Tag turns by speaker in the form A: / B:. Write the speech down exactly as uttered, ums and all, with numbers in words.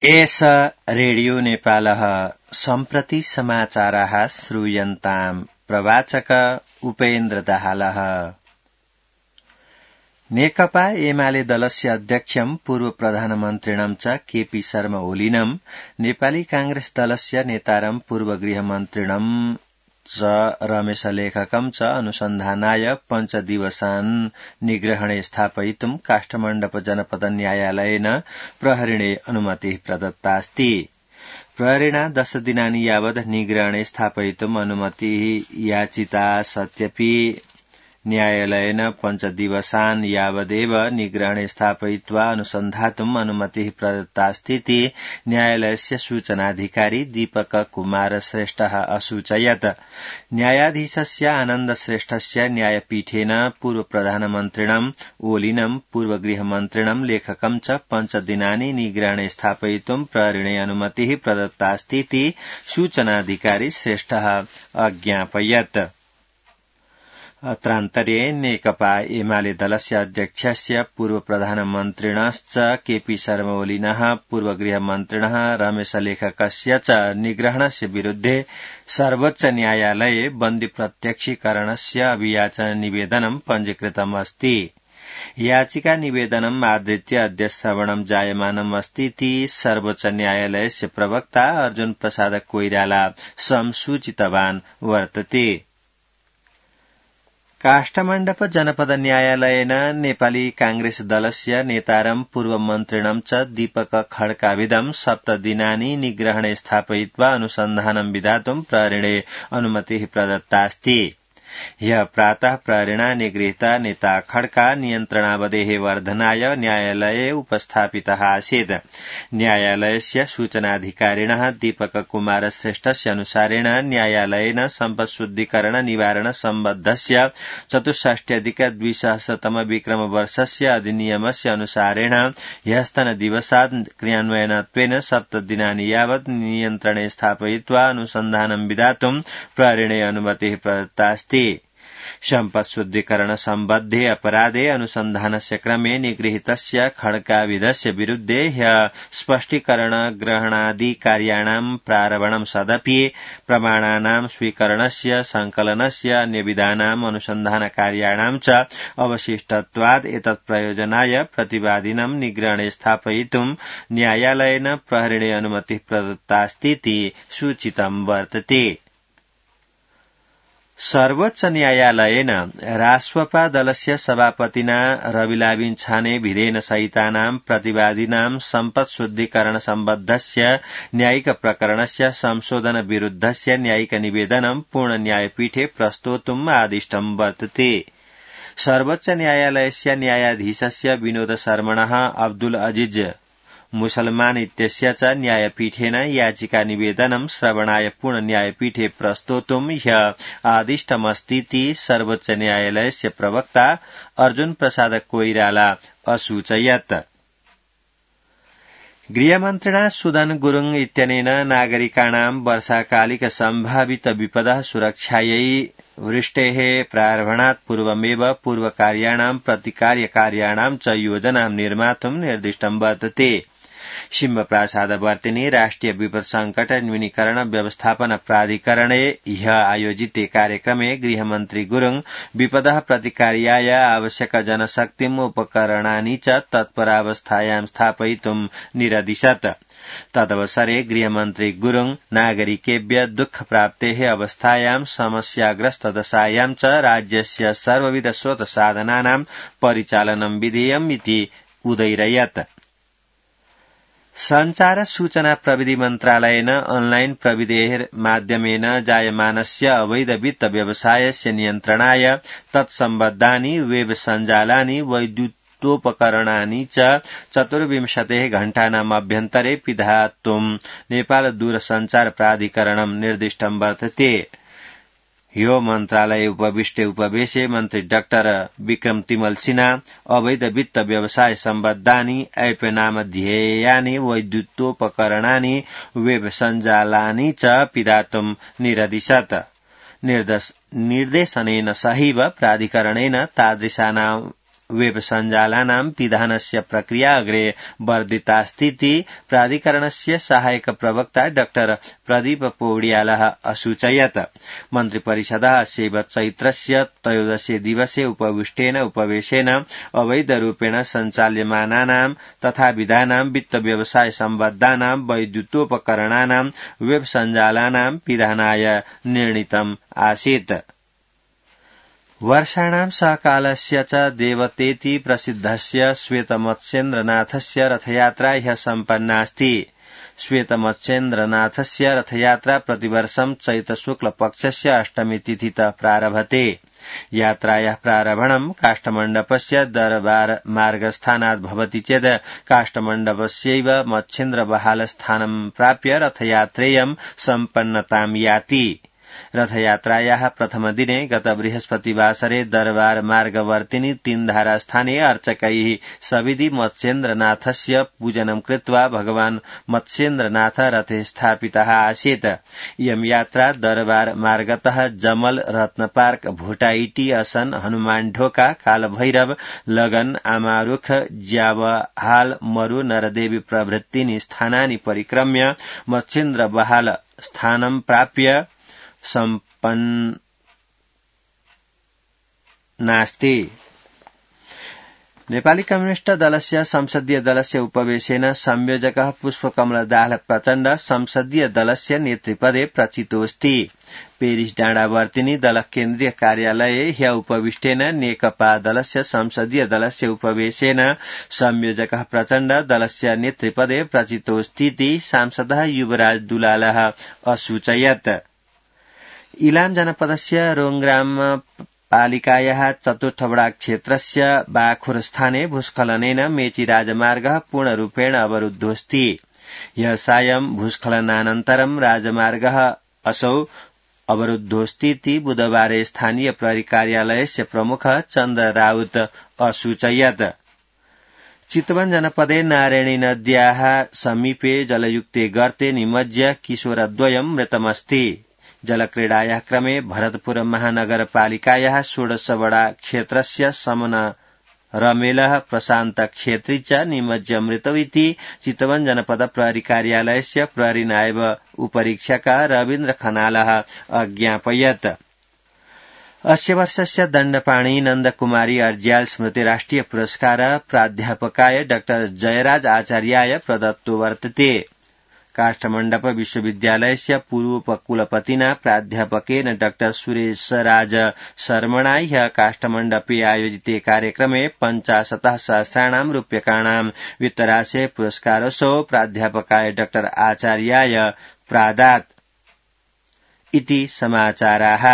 A: एष रेडियो नेपालः सम्प्रति समाचाराः श्रूयन्ताम् प्रवाचक उपेन्द्र दाहालः। नेकपा एमाले दलस्य अध्यक्षं पूर्व प्रधानमन्त्रिणं च केपी शर्मा ओलीनं नेपाली कांग्रेस दलस्य नेतारं पूर्व गृहमन्त्रिणं च रमेश लेखकं च अनुसन्धानाय पञ्चदिवसान् निग्रहणे स्थापयितुं काष्ठमण्डप जनपद न्यायालयेन प्रहरिणे अनुमतिः प्रदत्तास्ति। प्रहरिणा दश दिनानि यावत् निग्रहणे स्थापयितुम् अनुमतिः याचिता सत्यपि न्यायालयेन पञ्चदिवसान् यावदेव निग्रहणे स्थापयित्वा अनुसन्धातुम् अनुमतिः प्रदत्तास्तीति न्यायालयस्य सूचनाधिकारी दीपक कुमार श्रेष्ठः असूचयत्। न्यायाधीशस्य आनन्द श्रेष्ठस्य न्यायपीठेन पूर्व प्रधानमन्त्रिणम् ओलीनं पूर्व गृहमन्त्रिणं लेखकं च पञ्चदिनानि निग्रहणे स्थापयितुम् प्रहरिणे अनुमतिः प्रदत्तास्तीति सूचनाधिकारी श्रेष्ठः अज्ञापयत्। अत्रान्तरे नेकपा एमाले दलस्य अध्यक्षस्य पूर्व प्रधानमन्त्रिणश्च केपी शर्मा ओलिनः पूर्व गृहमन्त्रिणः रमेश लेखकस्य च निग्रहणस्य विरुद्धे सर्वोच्च न्यायालये बन्दी प्रत्यक्षीकरणस्य अभियाचन निवेदनं पञ्जीकृतमस्ति। याचिका निवेदनम् आधृत्य अद्य श्रवणं जायमानम् अस्तीति सर्वोच्च न्यायालयस्य प्रवक्ता अर्जुन प्रसाद कोइराला संसूचितवान् वर्तते। काष्ठमण्डप जनपद न्यायालयेन नेपाली कांग्रेस दलस्य नेतारं पूर्वमन्त्रिणं च दीपक खड्काविदं सप्तदिनानि निग्रहणे स्थापयित्वा अनुसन्धानं विधातुं प्रहरिणे अनुमतिः प्रदत्तास्ति। ह्यः प्रातः प्रहरिणा निगृहीता नेता खड्का नियन्त्रणावधेः वर्धनाय न्यायालये उपस्थापितः आसीत्। न्यायालयस्य सूचनाधिकारिणः दीपक कुमार श्रेष्ठस्य अनुसारेण न्यायालयेन सम्पत्शुद्धीकरण निवारण सम्बद्धस्य चतुष्षष्ट्यधिक द्विसहस्रतम विक्रम वर्षस्य अधिनियमस्य अनुसारेण ह्यस्तनदिवसात् क्रियान्वयनत्वेन सप्तदिनानि यावत् नियन्त्रणे स्थापयित्वा अनुसन्धानं विधातुं प्रहरिणे अनुमतिः प्रदत्तास्ति। सम्पत्शुद्धीकरण सम्बद्धे अपराधे अनुसन्धानस्य क्रमे निगृहीतस्य खड्काविदस्य विरुद्धे ह्यः स्पष्टीकरण ग्रहणादि कार्याणां प्रारम्भं सदपि प्रमाणानां स्वीकरणस्य संकलनस्य अन्यविधानाम् अनुसन्धान कार्याणां च अवशिष्टत्वात् एतत् प्रयोजनाय प्रतिवादिनं निग्रहणे स्थापयितुं न्यायालयेन प्रहरिणे अनुमतिः प्रदत्तास्तीति सूचितं वर्तते। सर्वोच्च न्यायालयेन राष्ट्रपा दलस्य सभापतिना रविलाबिन छाने भिदेन सहितानां प्रतिवादिनां सम्पत्शुद्धीकरण सम्बद्धस्य न्यायिक प्रकरणस्य संशोधन विरुद्धस्य न्यायिक निवेदनं पूर्ण न्यायपीठे प्रस्तोतुम् आदिष्टं वर्तते। सर्वोच्च न्यायालयस्य न्यायाधीशस्य विनोद शर्मणः अब्दुल अजीज मुसलमान इत्यस्य च न्यायपीठेन याचिका निवेदनं श्रवणाय पूर्ण न्यायपीठे प्रस्तोतुम् ह्यः आदिष्टमस्तीति सर्वोच्च न्यायालयस्य प्रवक्ता अर्जुन प्रसाद कोइराला असूचयत्। गृहमन्त्रिणा सुदन गुरुङ इत्यनेन नागरिकाणां वर्षाकालिक सम्भावित विपदः सुरक्षायै वृष्टेः प्रारम्भात् पूर्वमेव पूर्वकार्याणां प्रतिकार्यकार्याणां च योजनां निर्मातुं निर्दिष्टं वर्तते। सिंहप्रासादवर्तिनि राष्ट्रिय विपद संकट न्यूनीकरण व्यवस्थापन प्राधिकरणे ह्यः आयोजिते कार्यक्रमे गृहमन्त्री गुरुङ विपदः प्रतिकार्याय आवश्यक जनशक्तिम् उपकरणानि च तत्परावस्थायां स्थापयितुं निरदिशत्। तदवसरे गृहमन्त्री गुरुङ नागरिकेभ्य दुःख प्राप्तेः अवस्थायां समस्याग्रस्त दशायां च राज्यस्य सर्वविध स्रोत साधनानां परिचालनं विधेयम् इति उदयरयत्। संचार सूचना प्रविधि मन्त्रालयेन ऑनलाइन प्रविधेः माध्यमेन जायमानस्य अवैध वित्त व्यवसायस्य नियन्त्रणाय तत्सम्बद्धानि वेब सञ्जालानि वैद्युतोपकरणानि च चतुर्विंशतेः घण्टानाम् अभ्यन्तरे पिधातुं नेपाल दूरसञ्चार प्राधिकरणं निर्दिष्टं वर्तते। ह्यो मन्त्रालये उपविष्टे उपवेशे मन्त्री डाक्टर विक्रम तिमल सिन्हा अवैध वित्त व्यवसाय सम्बद्धानि ऐप नामध्येयानि वैद्युतोपकरणानि वेब सञ्जालानि च पिधातुं निरदिशत्। निर्देशनेन सहैव प्राधिकरणेन तादृशानां वेब सञ्जालानां पिधानस्य प्रक्रिया अग्रे वर्धितास्तीति प्राधिकरणस्य सहायक प्रवक्ता डाक्टर प्रदीप पौड्यालः असूचयत्। मन्त्रिपरिषदः अस्यैव चैत्रस्य त्रयोदशे दिवसे उपविष्टेन उपवेशेन अवैधरूपेण सञ्चाल्यमानानां तथा विधानां वित्त व्यवसाय सम्बद्धानां वैद्युतोपकरणानां वेब सञ्जालानां पिधानाय निर्णीतम् आसीत्। वर्षाणां सकालस्य च देवतेति प्रसिद्धस्य श्वेतमत्स्येन्द्रनाथस्य रथयात्रा ह्यः सम्पन्नास्ति। श्वेतमत्स्येन्द्रनाथस्य रथयात्रा प्रतिवर्षं चैत्रशुक्लपक्षस्य अष्टमी तिथितः प्रारभते। यात्रायाः प्रारम्भं काष्ठमण्डपस्य दरबार मार्गस्थानात् भवति चेत् काष्ठमण्डपस्यैव मत्स्येन्द्रबहालस्थानं प्राप्य रथयात्रेयं सम्पन्नतां याति। रथयात्रायाः प्रथमदिने गत बृहस्पतिवासरे दरबार मार्गवर्तिनि तीनधारास्थाने अर्चकैः सविधि मत्स्येन्द्रनाथस्य पूजनं कृत्वा भगवान् मत्स्येन्द्रनाथ रथे स्थापितः आसीत्। इयं यात्रा दरबार मार्गतः जमल, रत्नपार्क, भोटाइटी, असन, हनुमान ढोका, कालभैरव, लगन, आमारुख, ज्यावहाल, मरु, नरदेवी प्रभृतीनि स्थानानि परिक्रम्य मत्स्येन्द्रबहाल स्थानं प्राप्य सम्पन्नास्ति। नेपाली कम्युनिष्ट दलस्य संसदीय दलस्य उपवेशेन संयोजकः पुष्पकमलदास प्रचण्ड संसदीय दलस्य नेतृपदे प्रचितोऽस्ति। पेरिस डाँडावर्तिनि दल केन्द्रीय कार्यालये ह्य उपविष्टेन नेकपा दलस्य संसदीय दलस्य उपवेशेन संयोजकः प्रचण्ड दलस्य नेतृपदे प्रचितोऽस्तीति सांसदः युवराज दुलालः असूचयत्। इलाम जनपदस्य रोंग्राम पालिकायाः चतुर्थवडा क्षेत्रस्य बाखुर स्थाने भूस्खलनेन मेची राजमार्गः पूर्णरूपेण अवरुद्धोऽस्ति। ह्यः सायं भूस्खलनानन्तरं राजमार्गः असौ अवरुद्धोऽस्तीति बुधवारे स्थानीय प्रहरी कार्यालयस्य प्रमुखः चन्द्र राउत असूचयत्। चितवन जनपदे नारायणी नद्याः समीपे जलयुक्ते गर्ते निमज्य किशोरद्वयं मृतमस्ति। जलक्रीडायाः क्रमे भरतपुर महानगरपालिकायाः षोडशवडा क्षेत्रस्य समन रमेलः प्रशान्त क्षेत्री च निमज्य मृतौ इति चितवन जनपद प्रहरी कार्यालयस्य प्रहरी नायब उपरीक्षकः रवीन्द्र खनालः अज्ञापयत्। अस्य वर्षस्य दण्डपाणि नन्दकुमारी अर्ज्याल स्मृति राष्ट्रिय पुरस्कार प्राध्यापकाय डाक्टर जयराज आचार्याय प्रदत्तो वर्तते। काष्ठमण्डप विश्वविद्यालयस्य पूर्वोपकुलपतिना प्राध्यापकेन डाक्टर सुरेशराज शर्मणा ह्यः काष्ठमण्डपे आयोजिते कार्यक्रमे पञ्चाशतः सहस्राणां रूप्यकाणां वित्तराशे पुरस्कारसो प्राध्यापकाय डाक्टर आचार्याय प्रादात् इति समाचाराः।